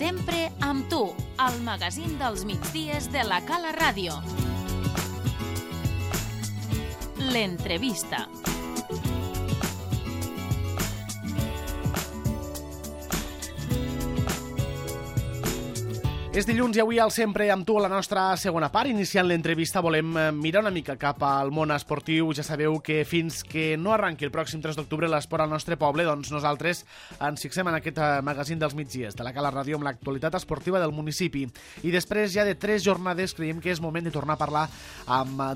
Sempre amb tu, al magazín dels migdies de la Cala Ràdio. L'entrevista. És dilluns i avui al Sempre amb tu a la nostra segona part. Iniciant l'entrevista volem mirar una mica cap al món esportiu. Ja sabeu que fins que no arranqui el pròxim 3 d'octubre l'esport al nostre poble, doncs nosaltres ens fixem en aquest magazín dels migdies de la Cala Ràdio amb l'actualitat esportiva del municipi. I després ja de 3 jornades creiem que és moment de tornar a parlar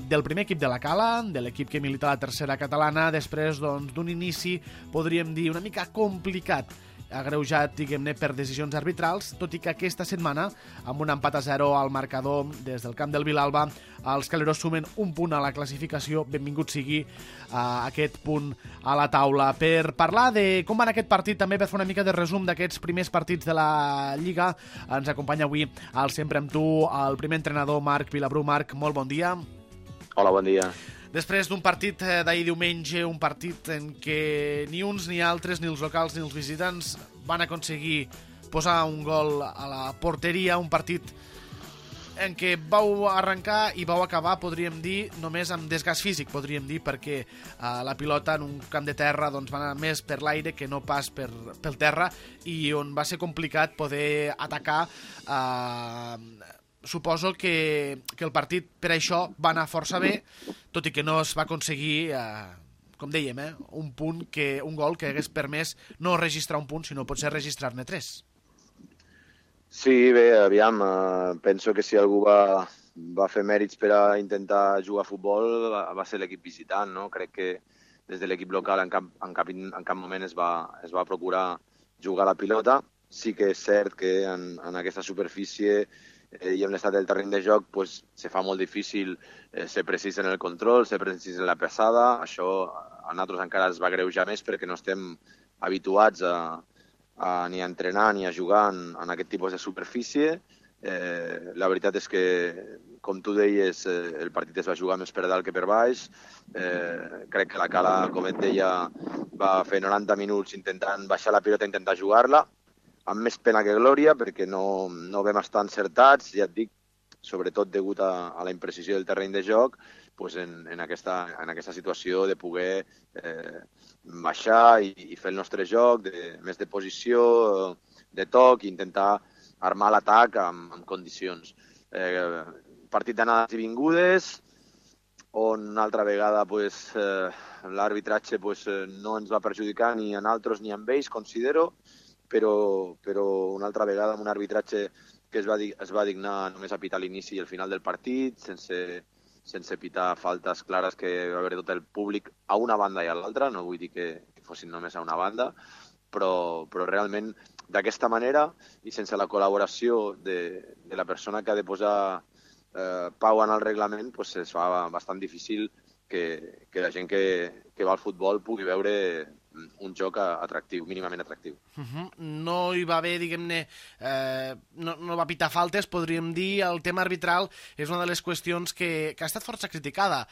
del primer equip de la Cala, de l'equip que milita a la tercera catalana, després d'un inici, podríem dir, una mica complicat, agreujat, diguem-ne, per decisions arbitrals, tot i que aquesta setmana, amb un empat a 0 al marcador des del camp del Vilalba, els caleros sumen un punt a la classificació. Benvingut sigui aquest punt a la taula. Per parlar de com va aquest partit, també per fer una mica de resum d'aquests primers partits de la Lliga, ens acompanya avui al Sempre amb tu el primer entrenador, Marc Vilabrú. Marc, molt bon dia. Hola, bon dia. Després d'un partit d'ahir diumenge, un partit en què ni uns ni altres, ni els locals ni els visitants, van aconseguir posar un gol a la porteria, un partit en què vau arrencar i vau acabar, podríem dir, només amb desgast físic, podríem dir, perquè la pilota en un camp de terra doncs, va anar més per l'aire que no pas pel terra, i on va ser complicat poder atacar. Suposo que el partit per això va anar força bé, tot i que no es va aconseguir, com dèiem, un gol que hagués permès no registrar un punt, sinó potser registrar-ne 3. Sí, bé, aviam, penso que si algú va fer mèrits per a intentar jugar a futbol va ser l'equip visitant, no? Crec que des de l'equip local en cap moment es va procurar jugar a la pilota. Sí que és cert que en aquesta superfície i amb l'estat del terreny de joc se fa molt difícil ser precís en el control, ser precís en la passada. Això a nosaltres encara es va greujar més perquè no estem habituats ni a entrenar ni a jugar en aquest tipus de superfície. La veritat és que, com tu deies, el partit es va jugar més per dalt que per baix. Crec que la Cala, com et deia, va fer 90 minuts intentant baixar la pilota i intentar jugar-la, amb més pena que glòria, perquè no vam estar encertats, ja et dic, sobretot degut a la imprecisió del terreny de joc, en aquesta situació de poder baixar i fer el nostre joc, més de posició, de toc, i intentar armar l'atac amb condicions. Partit d'anades i vingudes, on una altra vegada l'arbitratge no ens va perjudicar ni a nosaltres ni a ells, considero, però una altra vegada amb un arbitratge que es va dignar només a pitar l'inici i el final del partit, sense pitar faltes clares que va haver tot el públic a una banda i a l'altra. No vull dir que fossin només a una banda, però realment d'aquesta manera i sense la col·laboració de la persona que ha de posar pau en el reglament, es fa bastant difícil que la gent que va al futbol pugui veure un joc atractiu, mínimament atractiu. No hi va haver, diguem-ne, no va pitar faltes, podríem dir. El tema arbitral és una de les qüestions que ha estat força criticada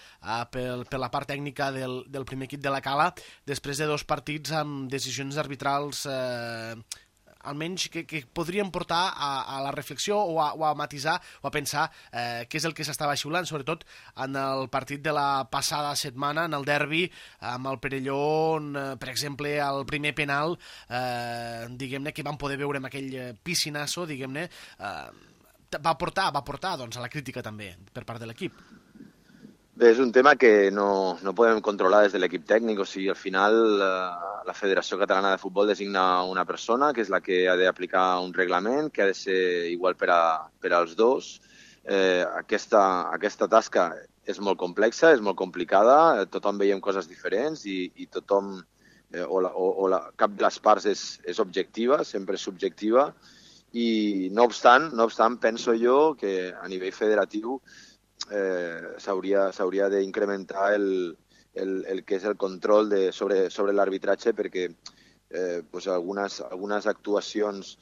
per la part tècnica del primer equip de la Cala, després de 2 partits amb decisions arbitrals almenys que podrien portar a la reflexió o a matisar o a pensar què és el que s'estava xiulant, sobretot en el partit de la passada setmana, en el derbi amb el Perelló, on, per exemple, el primer penal, diguem-ne, que vam poder veure amb aquell piscinasso, diguem-ne, va portar doncs, a la crítica també per part de l'equip. Bé, és un tema que no podem controlar des de l'equip tècnic. O sigui, al final la Federació Catalana de Futbol designa una persona que és la que ha d'aplicar un reglament que ha de ser igual per als dos. Aquesta tasca és molt complexa, és molt complicada, tothom veiem coses diferents i tothom, cap de les parts és objectiva, sempre és subjectiva, i no obstant penso jo que a nivell federatiu s'hauria d'incrementar el que és el control sobre l'arbitratge, perquè algunes actuacions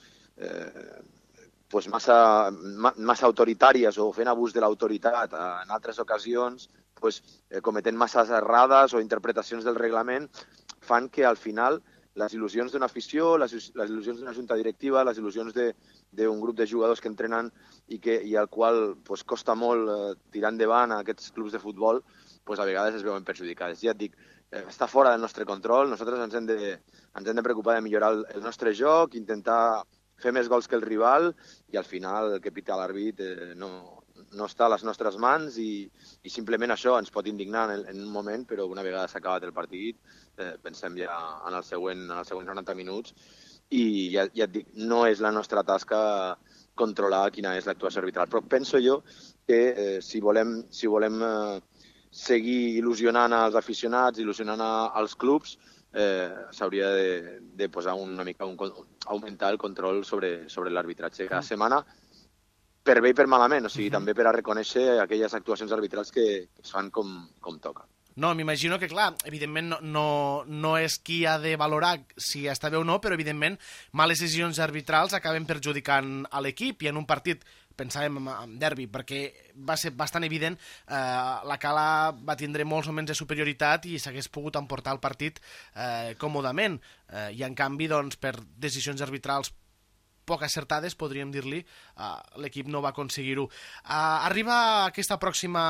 massa autoritàries o fent abús de l'autoritat en altres ocasions, cometent masses errades o interpretacions del reglament, fan que al final les il·lusions d'una afició, les il·lusions d'una junta directiva, les il·lusions d'un grup de jugadors que entrenen i al qual pues, costa molt tirar endavant a aquests clubs de futbol, pues, a vegades es veuen perjudicades. Ja et dic, està fora del nostre control, nosaltres ens hem de preocupar de millorar el nostre joc, intentar fer més gols que el rival i al final el que pita l'àrbit no està a les nostres mans i simplement això ens pot indignar en un moment, però una vegada s'ha acabat el partit pensem ja en els següents 90 minuts i ja et dic, no és la nostra tasca controlar quina és l'actuació arbitral. Però penso jo que si volem seguir il·lusionant als aficionats, il·lusionant als clubs, s'hauria de posar una mica, augmentar el control sobre l'arbitratge cada setmana, per bé i per malament, o sigui, també per a reconèixer aquelles actuacions arbitrals que es fan com toca. No, m'imagino que, clar, evidentment no és qui ha de valorar si està bé o no, però, evidentment, males decisions arbitrals acaben perjudicant a l'equip i en un partit, pensàvem en derbi, perquè va ser bastant evident, la Cala va tindre molts moments de superioritat i s'hagués pogut emportar el partit còmodament. I, en canvi, doncs, per decisions arbitrals poc acertades, podríem dir-li, l'equip no va aconseguir-ho. Arriba aquesta pròxima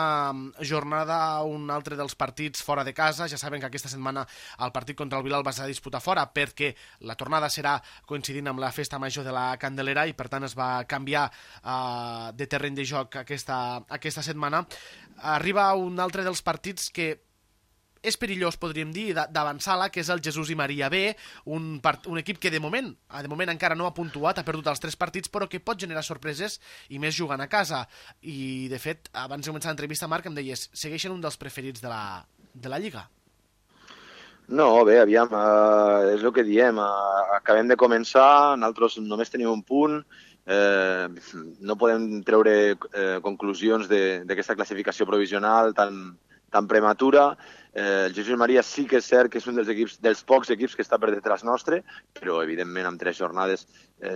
jornada un altre dels partits fora de casa. Ja saben que aquesta setmana el partit contra el Villalba s'ha de disputar fora perquè la tornada serà coincidint amb la festa major de la Candelera i per tant es va canviar de terreny de joc aquesta setmana. Arriba un altre dels partits que és perillós, podríem dir, d'avançar-la, que és el Jesús i Maria B, un equip que de moment encara no ha puntuat, ha perdut els 3 partits, però que pot generar sorpreses i més jugant a casa. I, de fet, abans de començar l'entrevista, Marc, em deies, segueixen un dels preferits de la Lliga. No, bé, aviam, és el que diem, acabem de començar, nosaltres només tenim un punt, no podem treure conclusions d'aquesta classificació provisional tan prematura. El Jesús Maria sí que és cert que és un dels pocs equips que està per detrás nostre, però evidentment amb 3 jornades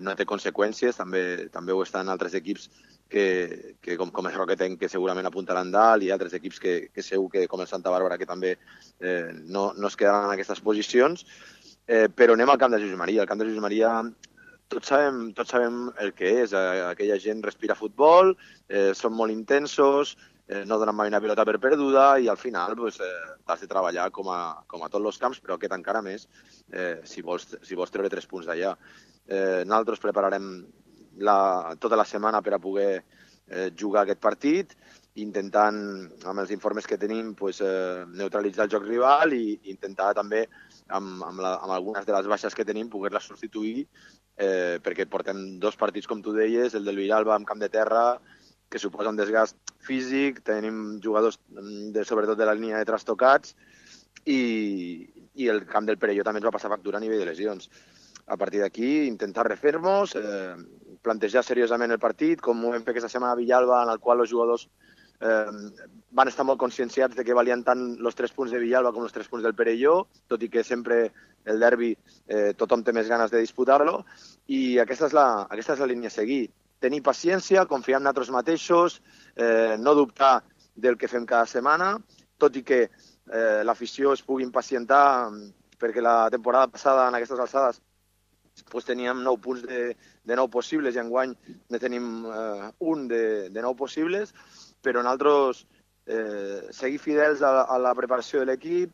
no té conseqüències, també ho estan altres equips que com el Roquetenc, que segurament apuntaran dalt, i altres equips que segur que com el Santa Bàrbara, que també no es quedaran en aquestes posicions, però anem al camp de Jesús Maria. El camp de Jesús Maria tots sabem el que és, aquella gent respira futbol, són molt intensos, no donen mai una pilota per perduda i al final has de treballar com a tots els camps, però aquest encara més si vols treure 3 punts d'allà. Nosaltres prepararem tota la setmana per a poder jugar aquest partit, intentant, amb els informes que tenim, neutralitzar el joc rival i intentar també, amb algunes de les baixes que tenim, poder-les substituir, perquè portem 2 partits, com tu deies, el del Villalba amb camp de terra, que suposa un desgast físic, tenim jugadors sobretot de la línia de trastocats i el camp del Perelló també ens va passar factura a nivell de lesions. A partir d'aquí, intentar refer-nos, plantejar seriosament el partit, com ho vam fer aquesta setmana a Villalba, en el qual els jugadors van estar molt conscienciats de que valien tant els 3 punts de Villalba com els 3 punts del Perelló, tot i que sempre el derbi tothom té més ganes de disputar-lo, i aquesta és la línia a seguir. Tenir paciència, confiar en nosaltres mateixos, no dubtar del que fem cada setmana, tot i que l'afició es pugui impacientar, perquè la temporada passada, en aquestes alçades, teníem 9 punts de 9 possibles i enguany ne tenim un de 9 possibles, però nosaltres seguir fidels a la preparació de l'equip,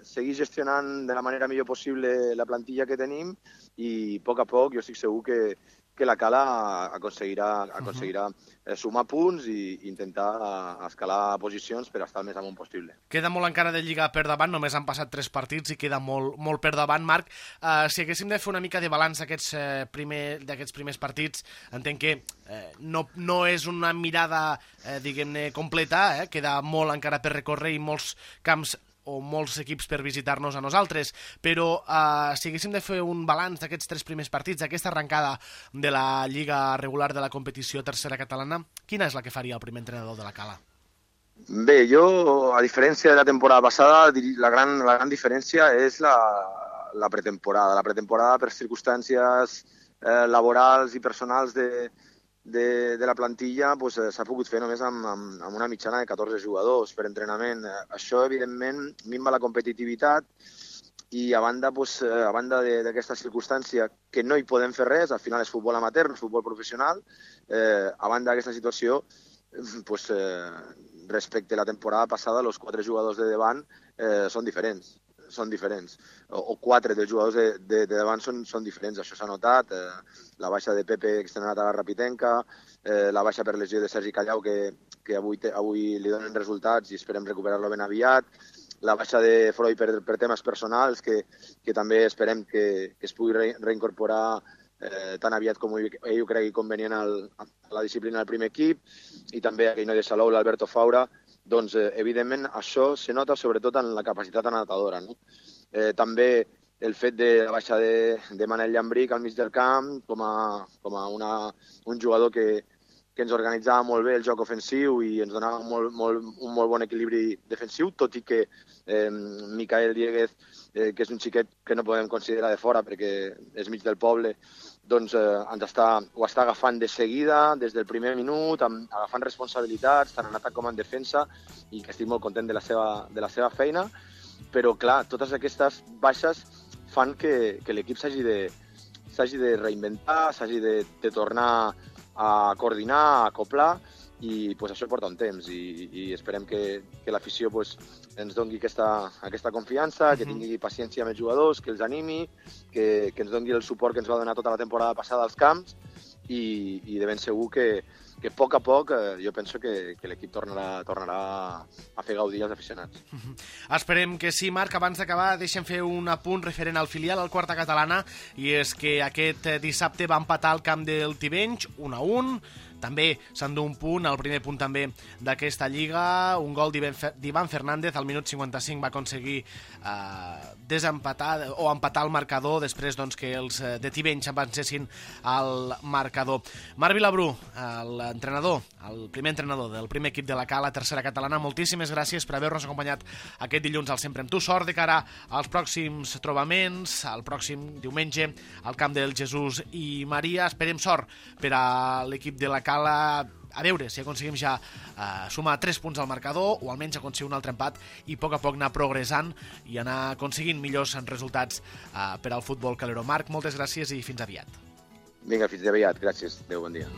seguir gestionant de la manera millor possible la plantilla que tenim i a poc jo estic segur que la Cala aconseguirà sumar punts i intentar escalar posicions per estar el més amunt possible. Queda molt encara de Lliga per davant, només han passat 3 partits i queda molt per davant. Marc, si haguéssim de fer una mica de balanç d'aquests primers partits, entenc que no és una mirada, diguem-ne, completa, queda molt encara per recórrer i molts camps o molts equips per visitar-nos a nosaltres, però si haguéssim de fer un balanç d'aquests 3 primers partits, d'aquesta arrencada de la Lliga regular de la competició tercera catalana, quina és la que faria el primer entrenador de la Cala? Bé, jo, a diferència de la temporada passada, la gran diferència és la pretemporada. La pretemporada, per circumstàncies laborals i personals de la plantilla, s'ha pogut fer només amb una mitjana de 14 jugadors per entrenament. Això, evidentment, minva la competitivitat i a banda d'aquesta circumstància que no hi podem fer res, al final és futbol amateur, no és futbol professional, a banda d'aquesta situació, respecte a la temporada passada, els 4 jugadors de davant són diferents. O 4 dels jugadors de davant són diferents, això s'ha notat. La baixa de Pepe externat a la Rapitenca, la baixa per lesió de Sergi Callau, que avui li donen resultats i esperem recuperar-lo ben aviat, la baixa de Freud per temes personals, que també esperem que es pugui reincorporar tan aviat com ell ho cregui convenient a la disciplina del primer equip, i també aquell noi de Salou, l'Alberto Faura. Doncs, evidentment, això se nota sobretot en la capacitat anotadora, no? També el fet de la baixa de Manel Llambric al mig del camp, com a un jugador que ens organitzava molt bé el joc ofensiu i ens donava un molt bon equilibri defensiu, tot i que Micael Dieguez, que és un xiquet que no podem considerar de fora perquè és mig del poble, doncs ho està agafant de seguida, des del primer minut, agafant responsabilitats, tant en atac com en defensa, i que estic molt content de la seva feina. Però, clar, totes aquestes baixes fan que l'equip s'hagi de reinventar, s'hagi de tornar a coordinar, a acoplar, i això porta un temps, i esperem que l'afició ens doni aquesta confiança, que tingui paciència amb els jugadors, que els animi, que ens doni el suport que ens va donar tota la temporada passada als camps, i de ben segur que a poc jo penso que l'equip tornarà a fer gaudir els aficionats. Esperem que sí, Marc. Abans d'acabar, deixem fer un apunt referent al filial, al Quarta Catalana, i és que aquest dissabte va empatar al camp del Tivenys 1-1. També s'endú un punt, el primer punt també d'aquesta lliga, un gol d'Ivan Fernández, al minut 55 va aconseguir desempatar o empatar el marcador després que els de Tivenys avancessin al marcador. Marc Vilabrú, l'entrenador, el primer entrenador del primer equip de la Cala, tercera catalana, moltíssimes gràcies per haver-nos acompanyat aquest dilluns al Sempre amb tu. Sort de cara als pròxims trobaments, al pròxim diumenge al camp del Jesús i Maria. Esperem sort per a l'equip de la Cala, a veure si aconseguim ja sumar 3 punts al marcador, o almenys aconseguir un altre empat, i a poc anar progressant i anar aconseguint millors resultats per al futbol calero. Marc, moltes gràcies i fins aviat. Vinga, fins aviat. Gràcies. Adéu, bon dia.